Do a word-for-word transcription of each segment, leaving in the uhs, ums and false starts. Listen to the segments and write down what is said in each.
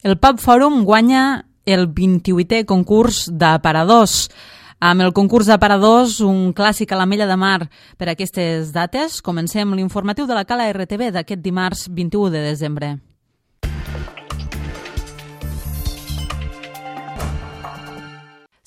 El Pub Fòrum guanya el vint-i-vuitè concurs d'aparadors. Amb el concurs d'aparadors, un clàssic a l'Ametlla de Mar per aquestes dates, comencem l'informatiu de la Cala R T V d'aquest dimarts vint-i-u de desembre.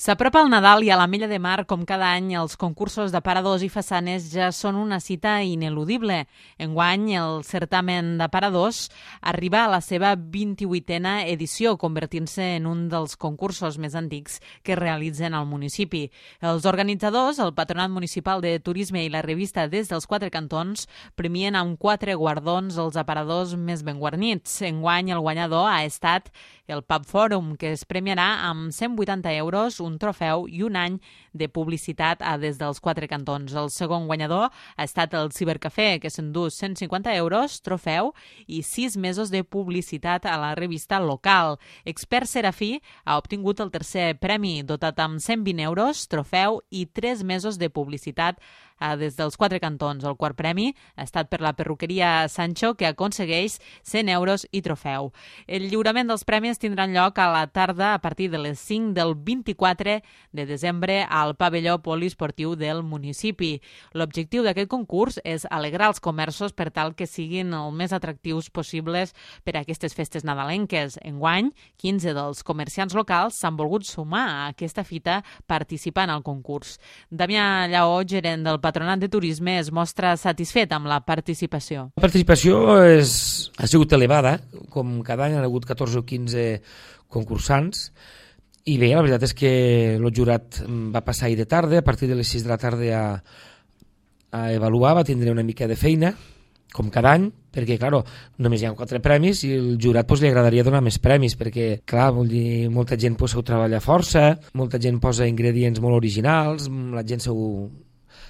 S'apropa el Nadal i a l'Ametlla de Mar, com cada any, els concursos d'aparadors i façanes ja són una cita ineludible. Enguany, el certamen d'aparadors arriba a la seva vint-i-vuitena edició, convertint-se en un dels concursos més antics que es realitzen al municipi. Els organitzadors, el Patronat Municipal de Turisme i la revista Des dels Quatre Cantons, premien amb quatre guardons els aparadors més ben guarnits. Enguany, el guanyador ha estat el Pub Fòrum, que es premiarà amb cent vuitanta euros, un trofeu i un any de publicitat a Des dels Quatre Cantons. El segon guanyador ha estat el Cibercafè, que s'endú cent cinquanta euros, trofeu i sis mesos de publicitat a la revista local. Expert Serafí ha obtingut el tercer premi, dotat amb cent vint euros, trofeu i tres mesos de publicitat a Des dels Quatre Cantons. El quart premi ha estat per la perruqueria Sancho, que aconsegueix cent euros i trofeu. El lliurament dels premis tindrà lloc a la tarda a partir de les cinc del vint-i-quatre de desembre al pavelló poliesportiu del municipi. L'objectiu d'aquest concurs és alegrar els comerços per tal que siguin el més atractius possibles per a aquestes festes nadalenques. Enguany, quinze dels comerciants locals s'han volgut sumar a aquesta fita participant al concurs. Damià Lleó, gerent del Patronat de Turisme, es mostra satisfet amb la participació. La participació és, ha sigut elevada, com cada any han hagut catorze o quinze concursants, i bé, la veritat és que el jurat va passar ahir de tarda, a partir de les sis de la tarda a, a avaluar, va tindre una mica de feina, com cada any, perquè, clar, només hi ha quatre premis i el jurat pues, li agradaria donar més premis, perquè, clar, vol dir, molta gent pues, s'ho treballa força, molta gent posa ingredients molt originals, la gent s'ho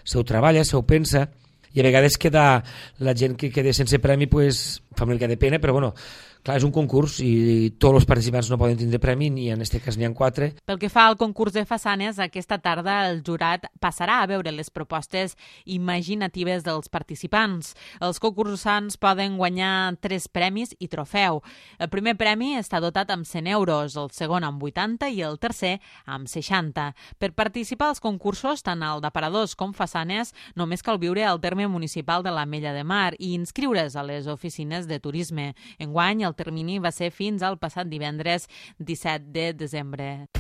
s'ho treballa, s'ho pensa, i a vegades queda, la gent que queda sense premi pues, fa una mica de pena, però bueno, clar, és un concurs i tots els participants no poden tindre premi, ni en aquest cas n'hi ha quatre. Pel que fa al concurs de façanes, aquesta tarda el jurat passarà a veure les propostes imaginatives dels participants. Els concursants poden guanyar tres premis i trofeu. El primer premi està dotat amb cent euros, el segon amb vuitanta i el tercer amb seixanta. Per participar als concursos, tant el d'aparadors com façanes, només cal viure al terme municipal de l'Ametlla de Mar i inscriure's a les oficines de turisme. Enguany, el El termini va ser fins al passat divendres disset de desembre.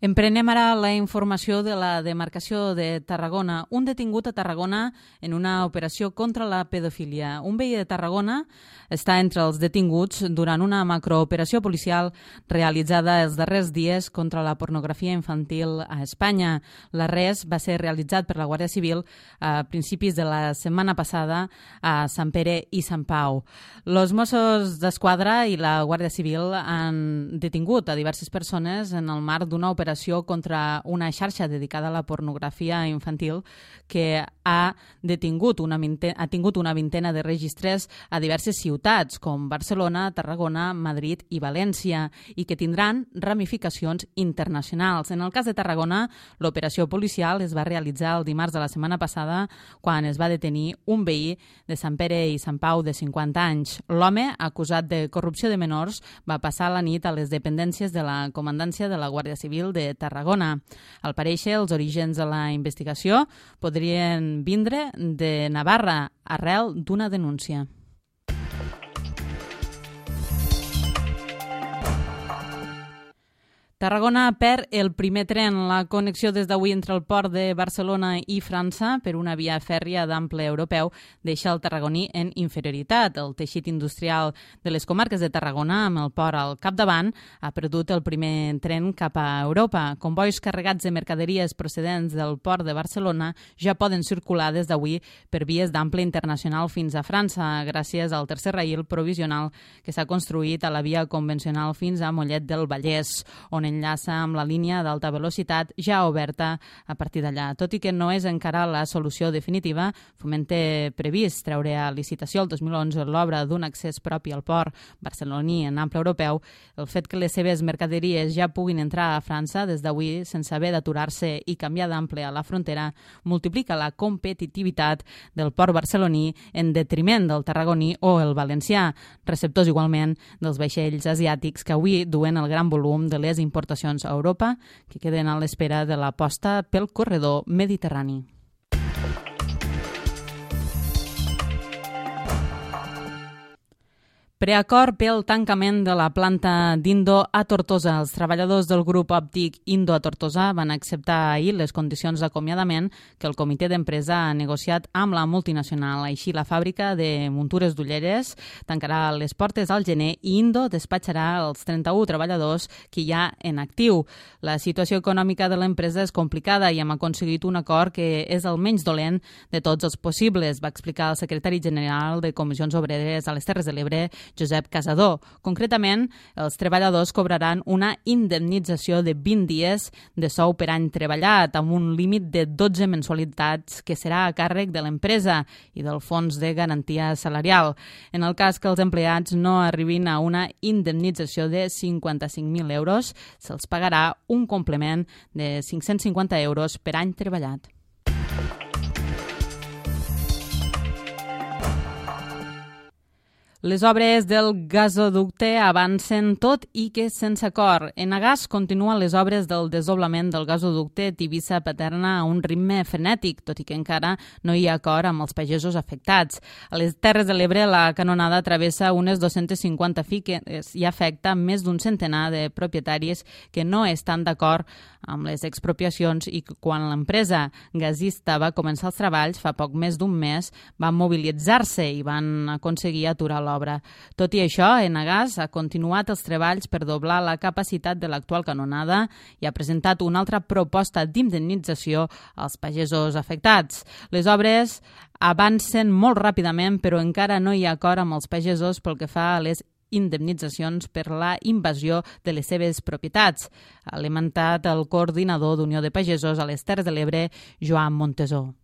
Emprenem ara la informació de la demarcació de Tarragona. Un detingut a Tarragona en una operació contra la pedofília. Un veí de Tarragona està entre els detinguts durant una macrooperació policial realitzada els darrers dies contra la pornografia infantil a Espanya. L'arrest va ser realitzat per la Guàrdia Civil a principis de la setmana passada a Sant Pere i Sant Pau. Els Mossos d'Esquadra i la Guàrdia Civil han detingut a diverses persones en el marc d'una operació contra una xarxa dedicada a la pornografia infantil que ha detingut una vintena, ha tingut una vintena de registres a diverses ciutats com Barcelona, Tarragona, Madrid i València i que tindran ramificacions internacionals. En el cas de Tarragona, l'operació policial es va realitzar el dimarts de la setmana passada quan es va detenir un veí de Sant Pere i Sant Pau de cinquanta anys. L'home, acusat de corrupció de menors, va passar la nit a les dependències de la comandància de la Guàrdia Civil de Tarragona. Al parèixer, els orígens de la investigació podrien vindre de Navarra arrel d'una denúncia. Tarragona perd el primer tren. La connexió des d'avui entre el port de Barcelona i França per una via fèrria d'ample europeu deixa el tarragoní en inferioritat. El teixit industrial de les comarques de Tarragona, amb el port al capdavant, ha perdut el primer tren cap a Europa. Convois carregats de mercaderies procedents del port de Barcelona ja poden circular des d'avui per vies d'ample internacional fins a França, gràcies al tercer raïl provisional que s'ha construït a la via convencional fins a Mollet del Vallès, on enllaça amb la línia d'alta velocitat ja oberta a partir d'allà. Tot i que no és encara la solució definitiva, Foment té previst treure a licitació el dos mil onze l'obra d'un accés propi al port barceloní en ample europeu. El fet que les seves mercaderies ja puguin entrar a França des d'avui sense haver d'aturar-se i canviar d'ample a la frontera multiplica la competitivitat del port barceloní en detriment del tarragoní o el valencià, receptors igualment dels vaixells asiàtics que avui duen el gran volum de les importacions a Europa que queden a l'espera de l'aposta pel corredor mediterrani. Preacord pel tancament de la planta d'Indo a Tortosa. Els treballadors del grup òptic Indo a Tortosa van acceptar ahir les condicions d'acomiadament que el comitè d'empresa ha negociat amb la multinacional. Així, la fàbrica de muntures d'ulleres tancarà les portes al gener i Indo despatxarà els trenta-u treballadors que hi ha en actiu. La situació econòmica de l'empresa és complicada i hem aconseguit un acord que és el menys dolent de tots els possibles, va explicar el secretari general de Comissions Obreres a les Terres de l'Ebre, Josep Casador. Concretament, els treballadors cobraran una indemnització de vint dies de sou per any treballat, amb un límit de dotze mensualitats que serà a càrrec de l'empresa i del fons de garantia salarial. En el cas que els empleats no arribin a una indemnització de cinquanta-cinc mil euros, se'ls pagarà un complement de cinc-cents cinquanta euros per any treballat. Les obres del gasoducte avancen tot i que sense acord. Enagas continua les obres del desdoblament del gasoducte Tivissa-Paterna a un ritme frenètic, tot i que encara no hi ha acord amb els pagesos afectats. A les Terres de l'Ebre la canonada travessa unes dos-centes cinquanta finques i afecta més d'un centenar de propietaris que no estan d'acord amb les expropiacions i que quan l'empresa gasista va començar els treballs fa poc més d'un mes van mobilitzar-se i van aconseguir aturar l'obra. Tot i això, Enagas ha continuat els treballs per doblar la capacitat de l'actual canonada i ha presentat una altra proposta d'indemnització als pagesos afectats. Les obres avancen molt ràpidament, però encara no hi ha acord amb els pagesos pel que fa a les indemnitzacions per la invasió de les seves propietats. Ha lamentat el coordinador d'Unió de Pagesos a les Terres de l'Ebre, Joan Montesó.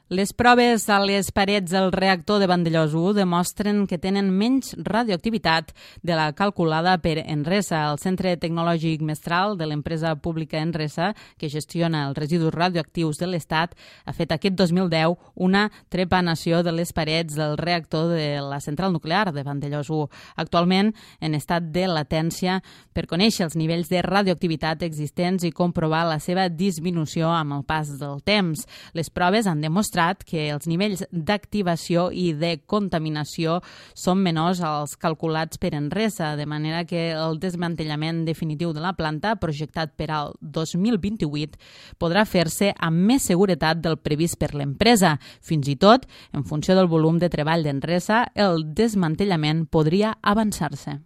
Les proves a les parets del reactor de Vandellòs u demostren que tenen menys radioactivitat de la calculada per Enresa. El Centre Tecnològic Mestral de l'empresa pública Enresa, que gestiona els residus radioactius de l'Estat, ha fet aquest dos mil deu una trepanació de les parets del reactor de la central nuclear de Vandellòs u, actualment en estat de latència, per conèixer els nivells de radioactivitat existents i comprovar la seva disminució amb el pas del temps. Les proves han demostrat que els nivells d'activació i de contaminació són menors als calculats per Enresa, de manera que el desmantellament definitiu de la planta, projectat per al dos mil vint-i-vuit, podrà fer-se amb més seguretat del previst per l'empresa. Fins i tot, en funció del volum de treball d'Enresa, el desmantellament podria avançar-se.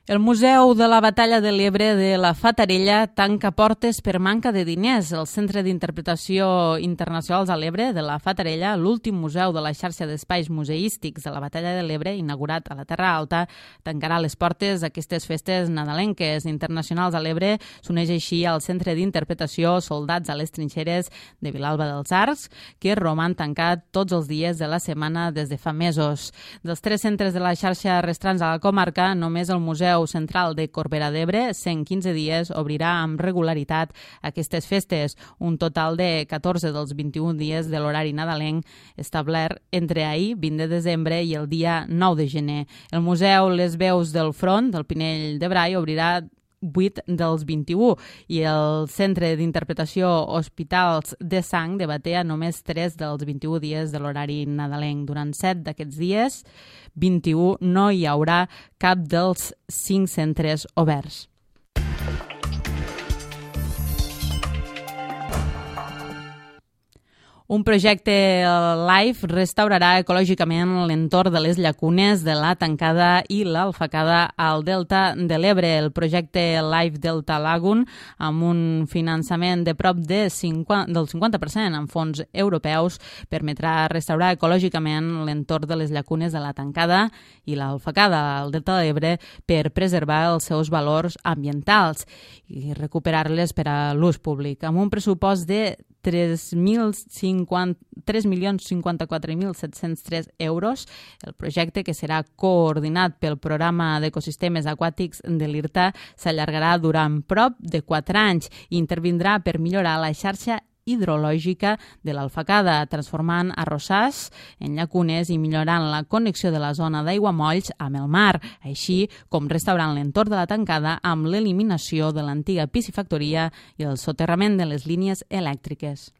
El Museu de la Batalla de l'Ebre de la Fatarella tanca portes per manca de diners. El Centre d'Interpretació Internacionals a l'Ebre de la Fatarella, l'últim museu de la xarxa d'espais museístics de la Batalla de l'Ebre, inaugurat a la Terra Alta, tancarà les portes d'aquestes festes nadalenques internacionals a l'Ebre. S'uneix així al Centre d'Interpretació Soldats a les Trinxeres de Vilalba dels Arcs, que roman tancat tots els dies de la setmana des de fa mesos. Dels tres centres de la xarxa restants a la comarca, només el Museu Central de Corbera d'Ebre, cent quinze dies, obrirà amb regularitat aquestes festes, un total de catorze dels vint-i-un dies de l'horari nadalenc establert entre ahir, vint de desembre, i el dia nou de gener. El Museu Les Veus del Front, del Pinell de Brai, obrirà vuit dels vint-i-u i el Centre d'Interpretació Hospitals de Sang de Batea només tres dels vint-i-u dies de l'horari nadalenc. Durant set d'aquests dies, vint-i-u, no hi haurà cap dels cinc centres oberts. Un projecte LIFE restaurarà ecològicament l'entorn de les llacunes de la Tancada i l'Alfacada al Delta de l'Ebre. El projecte LIFE Delta Lagoon, amb un finançament de prop de cinquanta, del cinquanta per cent en fons europeus, permetrà restaurar ecològicament l'entorn de les llacunes de la Tancada i l'Alfacada al Delta de l'Ebre per preservar els seus valors ambientals i recuperar-les per a l'ús públic. Amb un pressupost de tres milions cinquanta-quatre mil set-cents tres euros. El projecte, que serà coordinat pel Programa d'Ecosistemes Aquàtics de l'IRTA, s'allargarà durant prop de quatre anys i intervindrà per millorar la xarxa hidrològica de l'Alfacada, transformant arrossars en llacunes i millorant la connexió de la zona d'aiguamolls amb el mar, així com restaurant l'entorn de la Tancada amb l'eliminació de l'antiga piscifactoria i el soterrament de les línies elèctriques.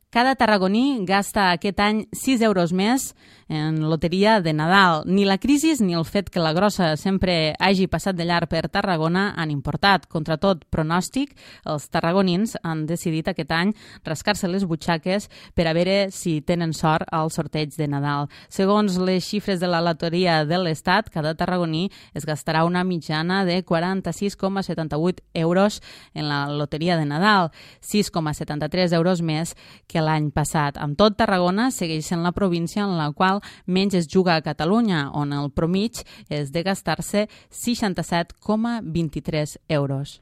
Cada tarragoní gasta aquest any sis euros més en loteria de Nadal. Ni la crisi ni el fet que la grossa sempre hagi passat de llarg per Tarragona han importat. Contra tot pronòstic, els tarragonins han decidit aquest any rascar-se les butxaques per a veure si tenen sort al sorteig de Nadal. Segons les xifres de la loteria de l'Estat, cada tarragoní es gastarà una mitjana de quaranta-sis coma setanta-vuit euros en la loteria de Nadal, sis coma setanta-tres euros més que l'any passat. Amb tot, Tarragona segueix sent la província en la qual menys es juga a Catalunya, on el promig és de gastar-se seixanta-set coma vint-i-tres euros.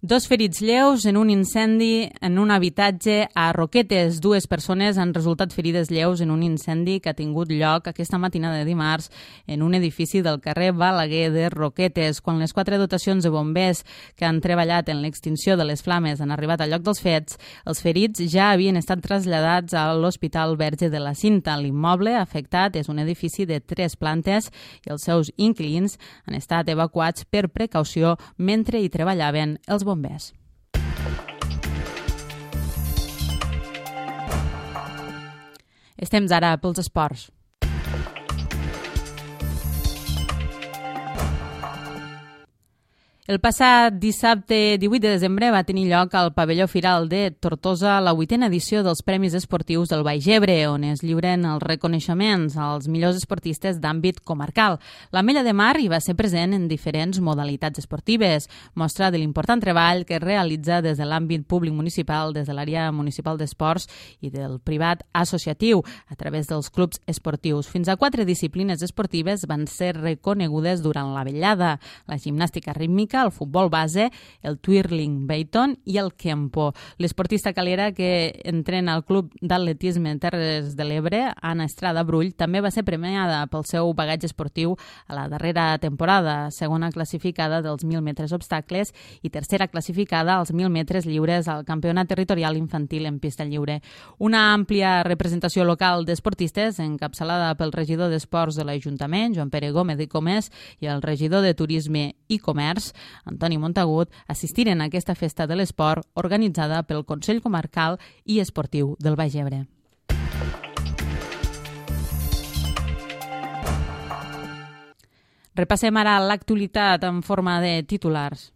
Dos ferits lleus en un incendi en un habitatge a Roquetes. Dues persones han resultat ferides lleus en un incendi que ha tingut lloc aquesta matina de dimarts en un edifici del carrer Balaguer de Roquetes. Quan les quatre dotacions de bombers que han treballat en l'extinció de les flames han arribat al lloc dels fets, els ferits ja havien estat traslladats a l'Hospital Verge de la Cinta. L'immoble afectat és un edifici de tres plantes i els seus inquilins han estat evacuats per precaució mentre hi treballaven els bombers. Estem ara pels esports. El passat dissabte divuit de desembre va tenir lloc al pavelló Firal de Tortosa la vuitena edició dels Premis Esportius del Baix Ebre, on es lliuren els reconeixements als millors esportistes d'àmbit comarcal. L'Ametlla de Mar hi va ser present en diferents modalitats esportives, mostra de l'important treball que es realitza des de l'àmbit públic municipal, des de l'àrea municipal d'esports i del privat associatiu, a través dels clubs esportius. Fins a quatre disciplines esportives van ser reconegudes durant la vetllada: la gimnàstica rítmica, el futbol base, el twirling Bayton i el kempo. L'esportista calera que entrena al Club d'Atletisme Terres de l'Ebre, Anna Estrada Brull, també va ser premiada pel seu bagatge esportiu a la darrera temporada, segona classificada dels mil metres obstacles i tercera classificada als mil metres lliures al Campionat Territorial Infantil en pista lliure. Una àmplia representació local d'esportistes, encapçalada pel regidor d'Esports de l'Ajuntament, Joan Pere Gómez i Comès, i el regidor de Turisme i Comerç, Antoni Montagut, assistiren a aquesta festa de l'esport organitzada pel Consell Comarcal i Esportiu del Baix Ebre. Repassem ara l'actualitat en forma de titulars.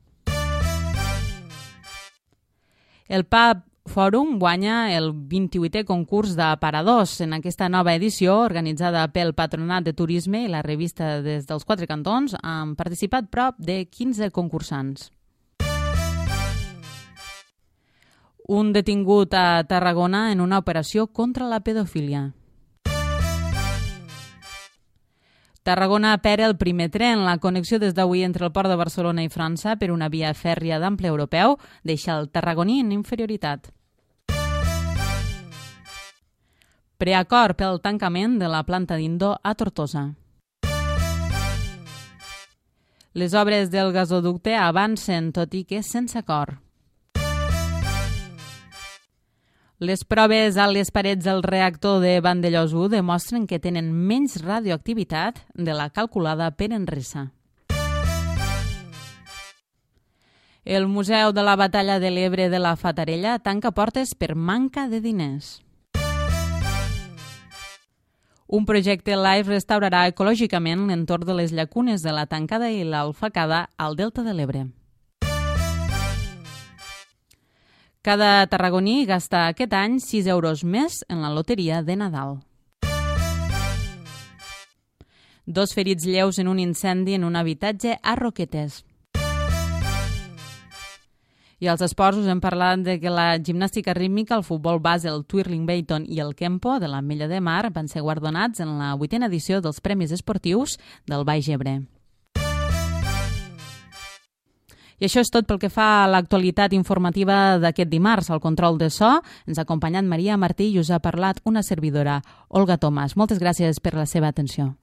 El P A B Fòrum guanya el vint-i-vuitè concurs d'aparadors. En aquesta nova edició, organitzada pel Patronat de Turisme i la revista Des dels Quatre Cantons, han participat prop de quinze concursants. Un detingut a Tarragona en una operació contra la pedofília. Tarragona perd el primer tren. La connexió des d'avui entre el port de Barcelona i França per una via fèrria d'ample europeu deixa el tarragoní en inferioritat. Preacord pel tancament de la planta d'Indo a Tortosa. Les obres del gasoducte avancen, tot i que sense acord. Les proves a les parets del reactor de Vandellòs u demostren que tenen menys radioactivitat de la calculada per Enresa. El Museu de la Batalla de l'Ebre de la Fatarella tanca portes per manca de diners. Un projecte LIFE restaurarà ecològicament l'entorn de les llacunes de la Tancada i l'Alfacada al Delta de l'Ebre. Cada tarragoní gasta aquest any sis euros més en la loteria de Nadal. Dos ferits lleus en un incendi en un habitatge a Roquetes. I als esports us hem parlat de que la gimnàstica rítmica, el futbol base, el twirling Bayton i el kempo de l'Ametlla de Mar van ser guardonats en la vuitena edició dels Premis Esportius del Baix Ebre. I això és tot pel que fa a l'actualitat informativa d'aquest dimarts. Al control de so ens ha acompanyat Maria Martí i us ha parlat una servidora, Olga Tomàs. Moltes gràcies per la seva atenció.